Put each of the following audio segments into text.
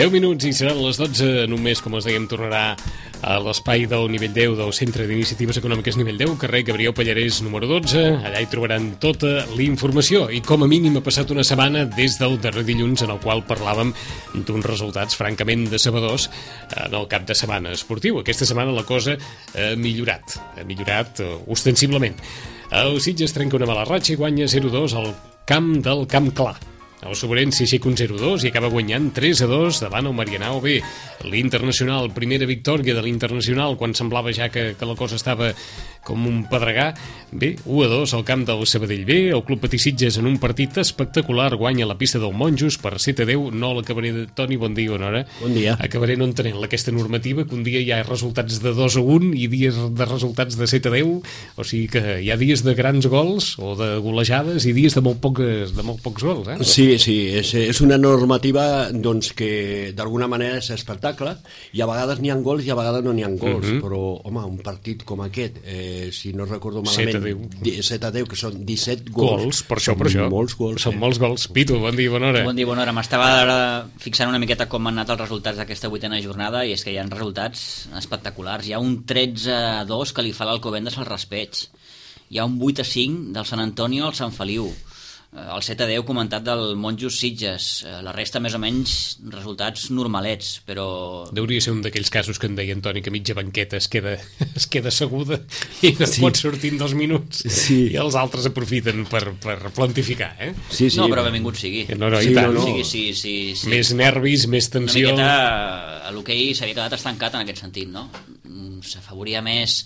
10 minuts i seran les 12. Només, com us dèiem, tornarà a l'espai del nivell 10 del Centre d'Iniciatives Econòmiques nivell 10, carrer Gabriel Pallarès número 12. Allà hi trobaran tota la informació. I com a mínim ha passat una setmana des del darrer dilluns en el qual parlàvem d'uns resultats francament decebedors en el cap de setmana esportiu. Aquesta setmana la cosa ha millorat ostensiblement. El Sitges trenca una mala ratxa i guanya 0-2 al camp del Camp Clar. El Sobrense s'aixeca un 0-2 i acaba guanyant 3-2 davant el Marianao B. L'Internacional, primera victòria de l'Internacional quan semblava ja que la cosa estava com un pedregar. Bé, 1-2 al camp del Sabadell B. El Club Patí Sitges en un partit espectacular guanya la pista del Monjos per 7-10. No l'acabaré de... Toni, bon dia, bona hora. Bon dia. Acabaré no entenent aquesta normativa, que un dia hi ha resultats de 2-1 i dies de resultats de 7-10. O sigui que hi ha dies de grans gols o de golejades i dies de molt pocs gols, eh? Sí, és una normativa doncs, que d'alguna manera és espectacle i a vegades n'hi ha gols i a vegades no n'hi ha gols, però home, un partit com aquest, si no recordo malament 7-10, que són 17 gols, per això. Molts gols, són molts gols. Pitu, bon dia, bona hora. Bon dia, bona hora. M'estava fixant una miqueta com han anat els resultats d'aquesta 8a jornada i és que hi ha resultats espectaculars. Hi ha un 13-2 que li fa l'Alcobendas al Raspeig. Hi ha un 8-5 del Sant Antonio al Sant Feliu. El 7-10 comentat del Monjos Sitges. La resta més o menys resultats normalets, però... Hauria ser un d'aquells casos que en deia Antoni, que mitja banqueta es queda asseguda i no pot sortir en 2 minuts, i els altres aprofiten per plantificar, eh? Sí. No, però benvingut sigui. No, i tant. Sí. Més nervis, més tensió. Una miqueta l'hoquei s'havia quedat estancat en aquest sentit, no? S'afavoria més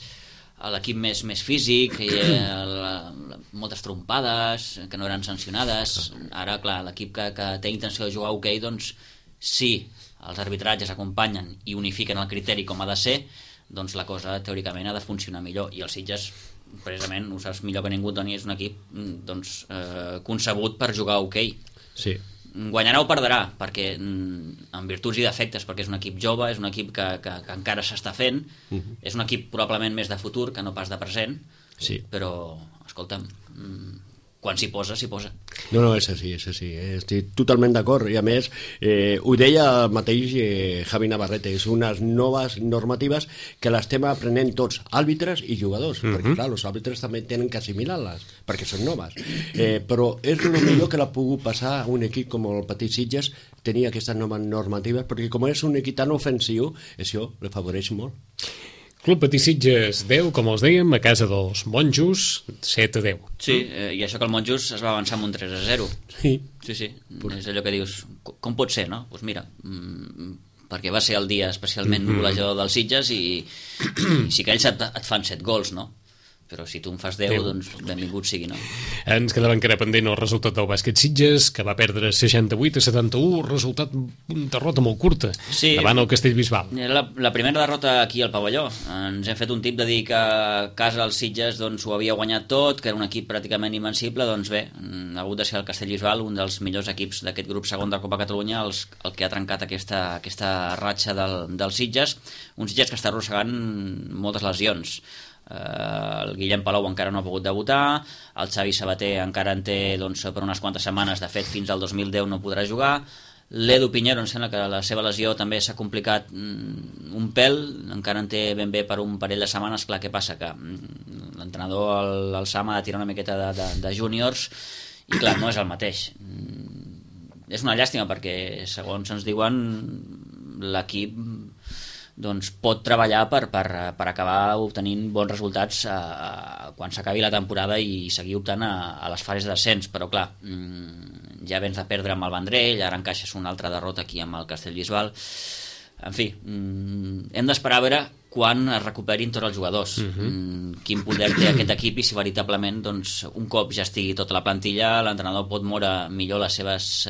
l'equip més físic, moltes trompades que no eren sancionades. Ara, clar, l'equip que té intenció de jugar a hoquei, doncs si els arbitratges acompanyen i unifiquen el criteri com ha de ser, doncs la cosa teòricament ha de funcionar millor. I els Sitges, precisament, ho saps millor que ningú, Toni, és un equip concebut per jugar a hoquei. Sí. Guanyarà o perdrà, perquè en virtuts i defectes, perquè és un equip jove, és un equip que encara s'està fent, és un equip probablement més de futur que no pas de present, però, escolta'm, quan s'hi posa, s'hi posa. No, és així, estic totalment d'acord, i a més ho deia el mateix Javi Navarrete, és unes noves normatives que l'estem aprenent tots, àrbitres i jugadors, perquè clar, els àrbitres també tenen que assimilar-les, perquè són noves, però és el millor que l'ha pogut passar a un equip com el Patí Sitges, tenir aquestes noves normatives, perquè com és un equip tan ofensiu, això l'afavoreix molt. Club Patí Sitges 10, com els dèiem, a casa dels Monjos, 7-10. Sí, i això que el Monjos es va avançar amb un 3-0. Sí. És allò que dius, com pot ser, no? Doncs mira, perquè va ser el dia especialment golejador dels Sitges i sí que ells et fan 7 gols, no? Però si tu en fas 10, doncs benvingut sigui, no? Ens quedava encara pendent el resultat del bàsquet Sitges, que va perdre 68-71, resultat derrota molt curta, davant el Castellbisbal. La primera derrota aquí al pavelló. Ens hem fet un tip de dir que a casa el Sitges doncs, ho havia guanyat tot, que era un equip pràcticament invencible. Doncs bé, ha hagut de ser el Castellbisbal, un dels millors equips d'aquest grup segon de Copa Catalunya, el que ha trencat aquesta ratxa del Sitges. Un Sitges que està arrossegant moltes lesions. El Guillem Palau encara no ha pogut debutar, el Xavi Sabater encara en té per unes quantes setmanes, de fet fins al 2010 no podrà jugar. L'Edu Piñero em sembla que la seva lesió també s'ha complicat un pèl, encara en té ben bé per un parell de setmanes. Clar, què passa? Que l'entrenador, el Sam, ha de tirar una miqueta de júniors i clar, no és el mateix. És una llàstima perquè segons ens diuen l'equip doncs pot treballar per acabar obtenint bons resultats quan s'acabi la temporada i seguir optant a les fases d'ascens, però clar, ja vens de perdre amb el Vendrell, ara encaixes una altra derrota aquí amb el Castellbisbal. En fi, hem d'esperar a veure quan es recuperin tots els jugadors, quin poder té aquest equip i si veritablement doncs, un cop ja estigui tota la plantilla l'entrenador pot moure millor les seves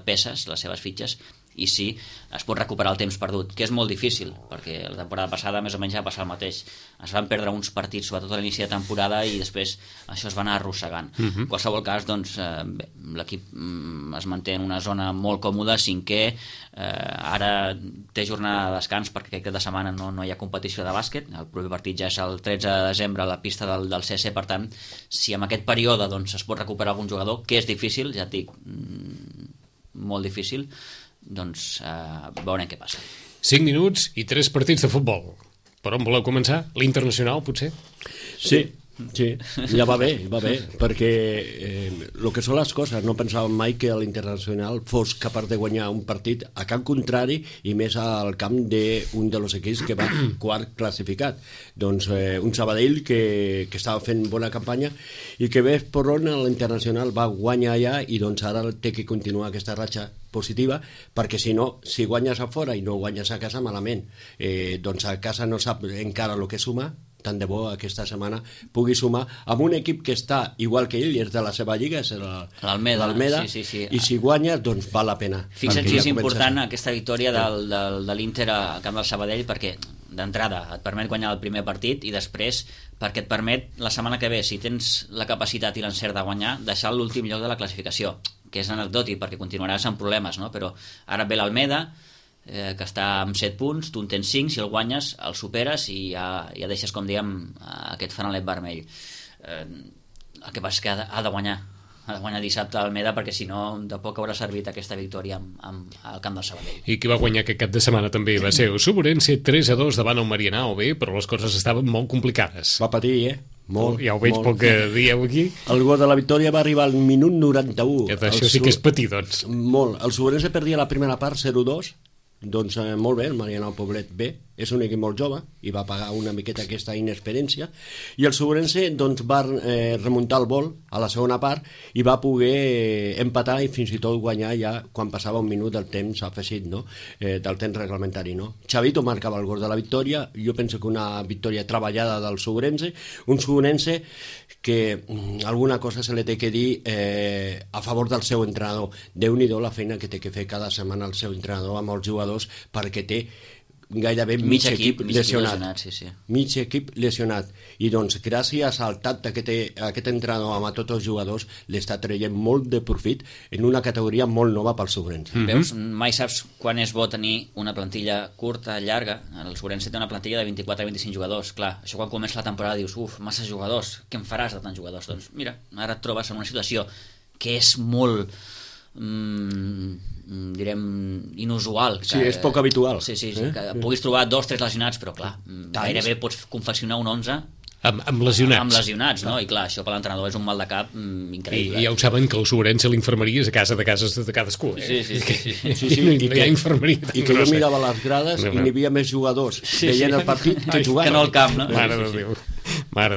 peces, les seves fitxes, i sí, es pot recuperar el temps perdut, que és molt difícil, perquè la temporada passada més o menys ja va passar el mateix. Es van perdre uns partits, sobretot a l'inici de temporada, i després això es va anar arrossegant. En qualsevol cas, doncs, l'equip es manté en una zona molt còmoda, cinquè, ara té jornada de descans perquè aquest cap de setmana no hi ha competició de bàsquet, el proper partit ja és el 13 de desembre a la pista del CC, per tant, si en aquest període doncs, es pot recuperar algun jugador, que és difícil, ja et dic, molt difícil, doncs veurem què passa. 5 minuts i 3 partits de futbol. Per on voleu començar? L'Internacional, potser? Sí, ja va bé, perquè el que són les coses, no pensàvem mai que l'Internacional fos capaç de guanyar un partit a camp contrari i més al camp d'un dels equips que va quart classificat. Doncs un Sabadell que estava fent bona campanya i que ves per on l'Internacional va guanyar allà i doncs ara té que continuar aquesta ratxa positiva, perquè si no, si guanyes a fora i no guanyes a casa, malament. Doncs a casa no sap encara el que suma, tant de bo aquesta setmana pugui sumar amb un equip que està igual que ell, és de la seva lliga, és l'Almeda, sí. I si guanyes, doncs val la pena. Fixa't si és important aquesta victòria de l'Inter al camp del Sabadell, perquè d'entrada et permet guanyar el primer partit i després perquè et permet la setmana que ve, si tens la capacitat i l'encert de guanyar, deixar l'últim lloc de la classificació, que és anecdòtic perquè continuaràs amb problemes, no? Però ara ve l'Almeda, que està amb 7 punts, tu en tens 5, si el guanyes el superes i ja deixes, com dèiem, aquest fanalet vermell. El que passa és que ha de guanyar dissabte a Almeda, perquè si no de poc haurà servit aquesta victòria al camp del Sabadell. I qui va guanyar aquest cap de setmana també va ser el Suburense 3-2 davant el Marianao B, però les coses estaven molt complicades. Va patir, molt. Ja ho veig pel que dieu aquí. El gol de la victòria va arribar al minut 91. Això sí que és patir, doncs. Molt. El Suburense perdia la primera part 0-2, doncs molt bé, el Marianao Poblet bé, és un equip molt jove i va pagar una miqueta aquesta inexperiència, i el Suburense doncs va remuntar el vol a la segona part i va poder empatar i fins i tot guanyar ja quan passava un minut del temps afegit, no? Del temps reglamentari, no? Chavito marcava el gol de la victòria. Jo penso que una victòria treballada del Suburense, un Suburense que alguna cosa se li té que dir a favor del seu entrenador. Déu-n'hi-do la feina que té que fer cada setmana el seu entrenador amb els jugadors, perquè té gairebé mig equip lesionat. Sí. Mig equip lesionat. I doncs gràcies al tacte que té aquest entrenador amb tots els jugadors l'està traient molt de profit en una categoria molt nova pel Suburense. Veus, mai saps quan és bo tenir una plantilla curta, llarga. El Suburense té una plantilla de 24-25 jugadors. Clar, això quan comença la temporada dius, massa jugadors, què en faràs de tants jugadors? Doncs mira, ara et trobes en una situació que és molt direm inusual, sí, és poc habitual, sí, que puguis trobar 2-3 lesionats, però clar, gairebé pots confeccionar un 11 amb lesionats. Amb lesionats, no? I clar, això per l'entrenador és un mal de cap increïble. I ja ho saben que el Suburense l'infermeria és a casa de cases de cadascú. Sí. No hi ha infermeria. I que jo mirava les grades i n'hi havia més jugadors veient el partit que jugant. Que no al camp, no? Mare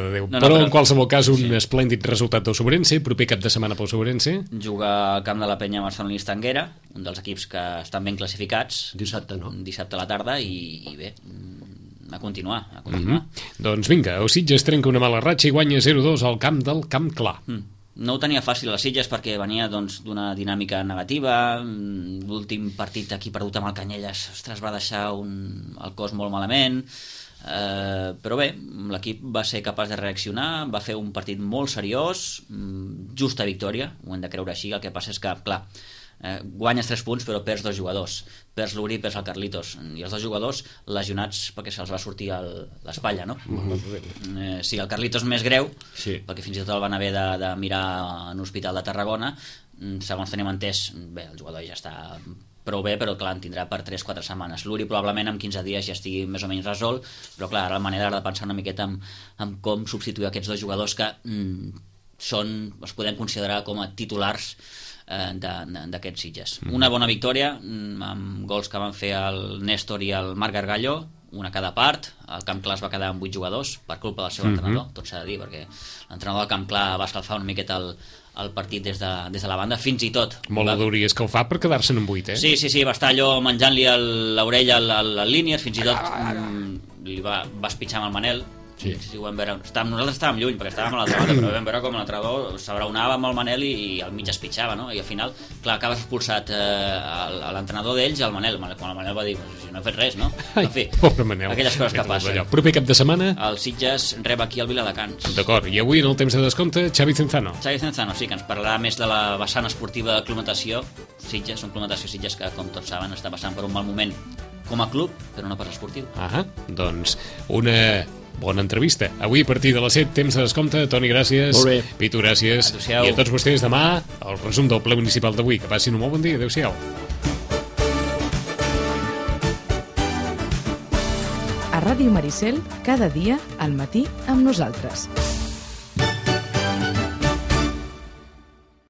de Déu. Però en qualsevol cas un esplèndid resultat del Suburense, proper cap de setmana pel Suburense. Juga al camp de la Penya Barcelonista Anguera, un dels equips que estan ben classificats. Dissabte, no? Dissabte a la tarda i bé, a continuar. Doncs vinga, el Sitges trenca una mala ratxa i guanya 0-2 al camp del Camp Clar. No ho tenia fàcil a les Sitges perquè venia d'una dinàmica negativa. L'últim partit aquí perdut amb el Canyelles, ostres, va deixar el cos molt malament, però bé, l'equip va ser capaç de reaccionar, va fer un partit molt seriós, justa victòria, ho hem de creure així. El que passa és que, clar, guanyes 3 punts però perds 2 jugadors, perds l'Uri, perds el Carlitos, i els 2 jugadors lesionats perquè se'ls va sortir l'espatlla, no? Sí, el Carlitos més greu, perquè fins i tot el van haver de mirar en l'Hospital de Tarragona. Segons tenim entès, bé, el jugador ja està prou bé, però clar, en tindrà per 3-4 setmanes. L'Uri probablement en 15 dies ja estigui més o menys resolt, però clar, ara la manera de pensar una miqueta en com substituir aquests 2 jugadors que els podem considerar com a titulars d'aquests Sitges. Una bona victòria amb gols que van fer el Néstor i el Marc Gargallo, una a cada part. El Camp Clar es va quedar amb 8 jugadors per culpa del seu entrenador, tot s'ha de dir, perquè l'entrenador del Camp Clar va escalfar una miqueta el partit des de la banda, fins i tot molt hauria escalfar per quedar-se'n amb 8, Sí, va estar allò menjant-li l'orella al línies, fins i tot li va espitxar amb el Manel. Sí, ho vam veure. Nosaltres estàvem lluny perquè estàvem a l'altra banda, però vam veure com l'entrenador s'abraonava amb el Manel i al mig es pitjava, no? I al final, clar, acabes expulsat l'entrenador d'ells i el Manel, quan el Manel va dir, si no he fet res, no? En fi, pobre Manel, aquelles coses que passen. Proper cap de setmana el Sitges rep aquí al Viladecans. D'acord, i avui en el temps de descompte Xavi Cenzano, sí, que ens parlarà més de la vessant esportiva de Club Natació Sitges, un Club Natació Sitges que, com tots saben, està passant per un mal moment com a club, però no per esportiu. Doncs una bona entrevista. Avui a partir de les 7, temps de descompte. Toni, gràcies. Molt bé. Pitu, gràcies. Adéu-siau. I a tots vostès demà el resum del ple municipal d'avui. Que passin un molt bon dia. Adéu-siau. A Ràdio Maricel, cada dia, al matí, amb nosaltres.